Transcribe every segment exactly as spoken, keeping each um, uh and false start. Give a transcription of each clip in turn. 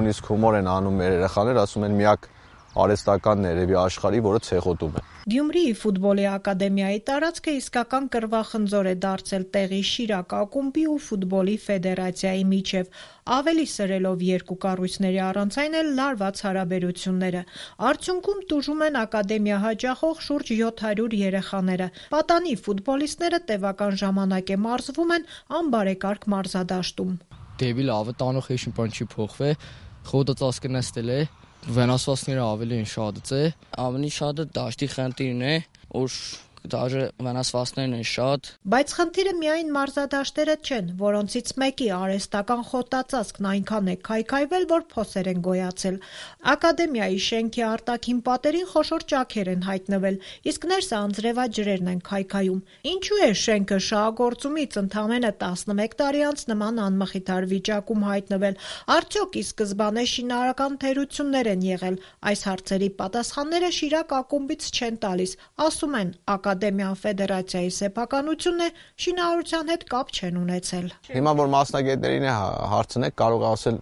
նույնիսկ հումոր են անում մեր երեխաները, ասում են միակ արհեստականն է երևի աշխարհի, որը ցեխոտում է։ Գյումրիի ֆուտբոլի ակադեմիայի տարածքը իսկական կռվախնձոր է դարձել տեղի Շիրակ ակումբի ու ֆուտբոլի ֆեդերացիայի միջև, ավելի սրելով երկու կառույցների առանց այն էլ լարված հարաբերությունները։ Արդյունքում տուժում են ակադեմիա հաճախող շուրջ յոթ հարյուր երեխաները։ Պատանի ֆուտբոլիստները տևական ժամանակ է մարզվում են անբարեկարգ մարզադաշտում։ Դեպի լավը տանող հեշ մի բան չի փոխվել, խոտը ծածկնստել է, վնասվածքները ավելի են շատը, ավելի շատը դաշտի խնդիրն է, որ Դաժե վնասվածքներն են շատ։ Բայց խնդիրը միայն մարզադաշտերը չեն, որոնցից մեկի արհեստական խոտածածկն այնքան է քայքայվել, որ փոսեր են գոյացել։ Ակադեմիայի շենքի արտաքին պատերին խոշոր ճաքեր են հայտնվել, իսկ ներսը անձրևաջրերն են քայքայում։ Ինչու է շենքը շահագործումից ընդամենը տասնմեկ տարի անց նման անմխիթար վիճակում հայտնվել։ Արդյոք ի սկզբանե շինարարական թերություններ են եղել։ Այս հարցերի պատասխանները Շիրակ ակումբից չեն տալիս, ասում են Ակադեմիան ֆեդերացիայի սեփականությունն է, շինարարության հետ կապ չեն ունեցել։ Հիմա որ մասնագետներին է հարցնեք, կարող է ասել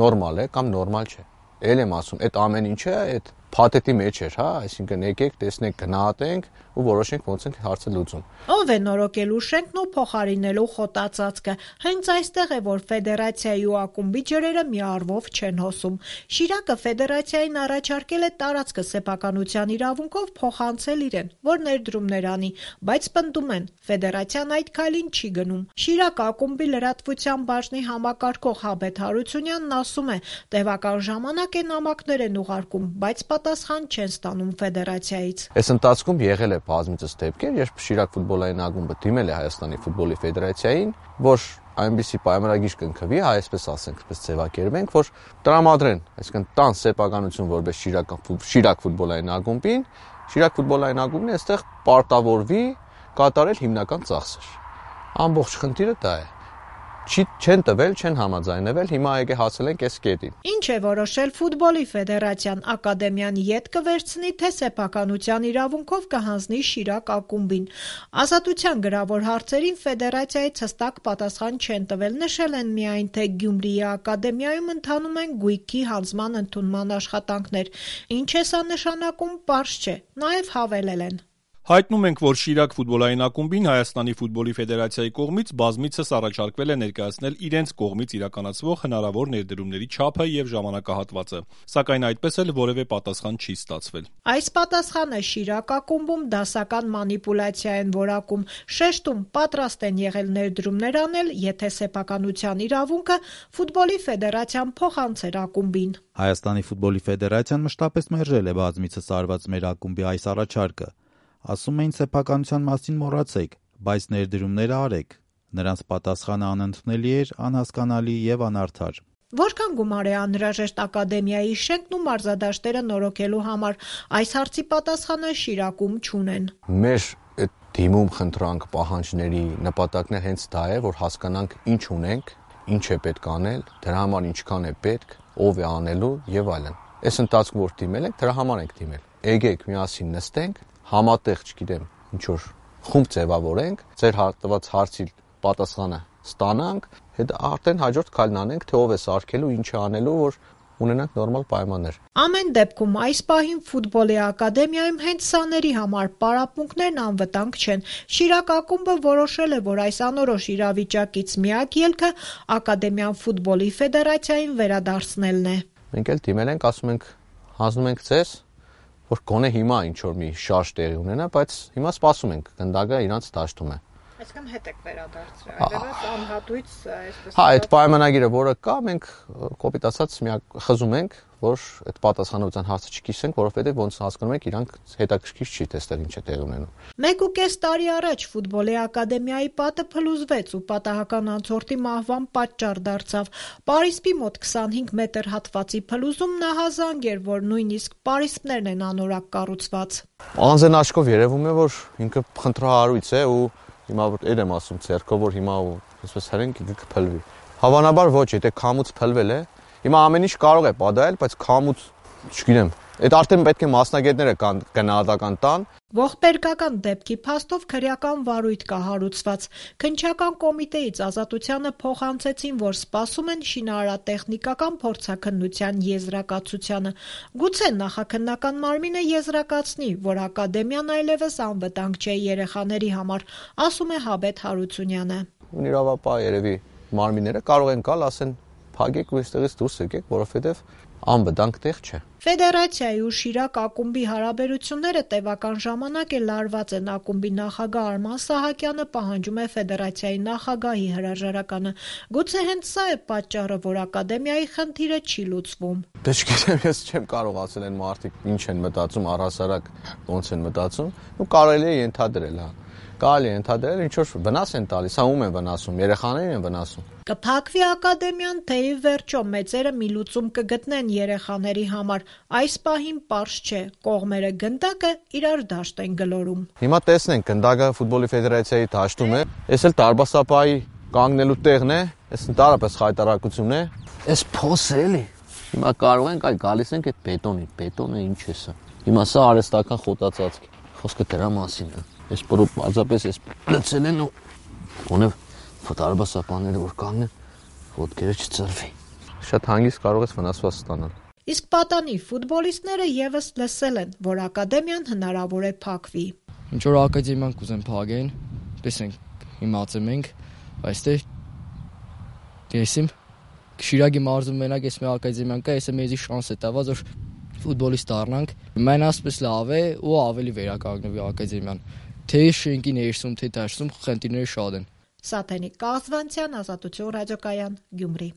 նորմալ է կամ նորմալ չէ։ Էլ եմ ասում, այդ ամեն ինչը այդ փաթեթի մեջ էր, հա, այսինքն եկեք, տեսնենք, գնահատենք ու որոշենք ոնց ենք հարցը լուծում։ Ով է նորոգելու շենքն ու փոխարինելու խոտածածկը։ Հենց այստեղ է, որ ֆեդերացիայի ու ակումբի ջրերը մի առվով չեն հոսում։ Շիրակը ֆեդերացիային առաջարկել է տարածքը սեփականության իրավունքով փոխանցել իրեն, որ ներդրումներ անի, բայց պնդում են, ֆեդերացիան այդ քայլին չի գնում։ Շիրակ ակումբի լրատվության բաժնի համակարգող Հաբեթ Հարությունյանն ասում է, տևական ժամանակ է նամակներ են ուղարկում, բայց պատասխան չեն ստանում ֆեդերացիայից։ Այս ընթացքում եղել է բազմիցս դեպքեր, երբ Շիրակ ֆուտբոլային ակումբը դիմել է Հայաստանի ֆուտբոլի ֆեդերացիային, որ այնպիսի պայմանագիր կնքվի, այսպես ասենք, այսպես ձևակերպենք, որ տրամադրեն, այսինքն տան սեփականություն որպես Շիրակ Շիրակ ֆուտբոլային ակումբին, Շիրակ ֆուտբոլային ակումբն այստեղ պարտավորվի կատարել հիմնական ծախսեր։ Ամբողջ խնդիրը դա է։ Չի չեն տվել, չեն համաձայնվել, հիմա եկե հասել ենք այս կետին։ Ինչ է որոշել ֆուտբոլի ֆեդերացիան, ակադեմիան ետ կվերցնի, թե սեփականության իրավունքով կհանձնի Շիրակ ակումբին։ Ազատության գրավոր հարցերին ֆեդերացիայից հստակ պատասխան չեն տվել, նշել են միայն, թե Գյումրիի ակադեմիայում ընթանում են գույքի հանձնման ընդունման աշխատանքներ։ Ինչ է սա նշանակում, պարզ չէ, նաև հավելել են։ Հայտնում ենք, որ Շիրակ ֆուտբոլային ակումբին Հայաստանի ֆուտբոլի ֆեդերացիայի կողմից բազմիցս առաջարկվել է ներկայացնել իրենց կողմից իրականացվող հնարավոր ներդրումների չափը եւ ժամանակահատվածը, սակայն այդպես էլ որևէ պատասխան չի ստացվել։ Այս պատասխանը Շիրակ ակումբում դասական մանիպուլյացիա են որակում, շեշտում պատրաստ են եղել ներդրումներ անել, եթե սեփականության իրավունքը ֆուտբոլի ֆեդերացիան փոխանցեր ակումբին։ Հայաստանի ֆուտբոլի ֆեդերացիան մշտապես մերժել է բազմիցս արված մեր ակումբի այս առաջարկը։ Ասում էին սեփականության մասին մոռացեք, բայց ներդրումները արեք։ Նրանց պատասխանը անընդունելի էր, անհասկանալի եւ անարդար։ Որքան գումար է անհրաժեշտ ակադեմիայի շենքն ու մարզադաշտերը նորոգելու համար, այս հարցի պատասխանը Շիրակում չունեն։ Մեր այդ դիմում խնդրանք պահանջների նպատակն է հենց դա է, որ հասկանանք ինչ ունենք, ինչ է պետք անել, դրա համար ինչքան է պետք, ով է անելու եւ այլն։ Այս ընթացքում որ դիմել ենք, դրա համար ենք դիմել։ Եկեք միասին նստենք, համատեղ, չգիտեմ, ինչ որ խումբ ձևավորենք, ձեր տված հարցի պատասխանը ստանանք, հետո արդեն հաջորդ քայլն անենք, թե ով է սարքելու, ինչ է անելու, որ ունենանք նորմալ պայմաններ։ Ամեն դեպքում այս պահին ֆուտբոլի ակադեմիայում հենց սաների համար պարապմունքներն անվտանգ չեն։ Շիրակ ակումբը որոշել է, որ այս անորոշ իրավիճակից միակ ելքը ակադեմիան ֆուտբոլի ֆեդերացիային վերադարձնելն է։ Մենք էլ դիմել ենք, ասում ենք, հանձնում ենք ձեզ, որ գոնե հիմա ինչ որ մի շարժ տեղի ունենա, բայց հիմա սպասում ենք, գնդակը իրանց դաշտում է։ Այսինքն հետ եք վերադարձրել, այլևս անհատույց այսպես։ Հա, այդ պայմանագիրը, որը կա, մենք կոպիտ ասած միակ խզում ենք, որ այդ պատասխանատվության հարցը չկիսենք, որովհետև ոնց հասկանում եք, իրանք հետաքրքիր չի, թե այստեղ ինչ է տեղի ունենում։ Մեկ ու կես տարի առաջ ֆուտբոլի ակադեմիայի պատը փլուզվեց ու պատահական անցորդի մահվան պատճառ դարձավ։ Պարիսպի մոտ քսանհինգ մետր հատվածի փլուզումն ահազանգ էր, որ նույնիսկ պարիսպներն են անորակ կառուցված։ Անձն աչքով երևում է, որ ինքը խնդրահարույց է ու հիմա որ էր եմ ասում ցերկով, որ հիմա այսպես հրենք կփլվի։ Հավանաբար ոչ, եթե քամուց փլվել է, հիմա ամեն ինչ կարող է պատահել, բայց քամուց, չգիտեմ, Այդ արդեն պետք է մասնագետները գնահատական տան։ Ողբերգական դեպքի փաստով քրեական վարույթ կա հարուցված։ Քննչական կոմիտեից Ազատությանը փոխանցեցին, որ սպասում են շինարարատեխնիկական փորձաքննության եզրակացությանը։ Գուցե նախաքննական մարմինը եզրակացնի, որ ակադեմիան այլևս անվտանգ չէ երեխաների համար, ասում է Հաբեթ Հարությունյանը։ Իրավապահ երևի մարմինները կարող են գալ, ասեն փակեք ու այստեղից դուրս եկեք, որովհետև անվտանգ տեղ չէ։ Ֆեդերացիայի ու Շիրակ ակումբի հարաբերությունները տևական ժամանակ է լարված են։ Ակումբի նախագահ Արման Սահակյանը պահանջում է ֆեդերացիայի նախագահի հրաժարականը։ Գուցե հենց սա է պատճառը, որ ակադեմիայի խնդիրը չի լուծվում։ Դե չգիտեմ, ես չեմ կարող ասել են մարդիկ ինչ են մտածում, առհասարակ ոնց են մտածում, ու կարելի է ենթադրել, հա։ Կարելի է ենթադրել, ինչ որ վնաս են տալիս, հա ում են վնասում, երեխաներին են վնասում։ Կփակվի ակադեմիան, թե ի վերջո մեծերը մի լուծում կգտնեն երեխաների համար, այս պահին պարզ չէ, կողմերը գնդակը իրար դաշտ են գլորում։ Հիմա տեսնենք, գնդակը ֆուտբոլի ֆեդերացիայի դաշտում է, այս էլ տարբասապայի կանգնելու տեղն է, այս ընդհանրապես խայտարակություն է, այս փոսը էլի։ Հիմա կարող ենք այ գալիս ենք այդ բետոնի, բետոնը ինչ է սա։ Հիմա սա արհեստական խոտածածկ է, խոսքը դրա մասին է։ Այս պարզապես այս լցել են ու ունև ֆոտարբասապանները որ կանգնեն, ոտքերը չծրվի։ Շատ հանգիստ կարող ես վնասված ստանալ։ Իսկ պատանի ֆուտբոլիստները եւս լսել են, որ ակադեմիան հնարավոր է փակվի։ Ինչ որ ակադեմիան կուզեն փակեն, տեսենք, իմացել ենք, այստեղ դեսիմ Շիրակի մարզում մենակ էս մի ակադեմիան կա, էսը մեզի շանս է տված, որ ֆուտբոլիստ դառնանք։ Մեն ասպես լավ է ու ավելի վերականգնվի ակադեմիան։ Թե շենքի ներսում, թե դաշտում խնդիրները շատ են։ Սաթենիկ Կազվանցյան, Ազատություն ռադիոկայան, Գյումրի։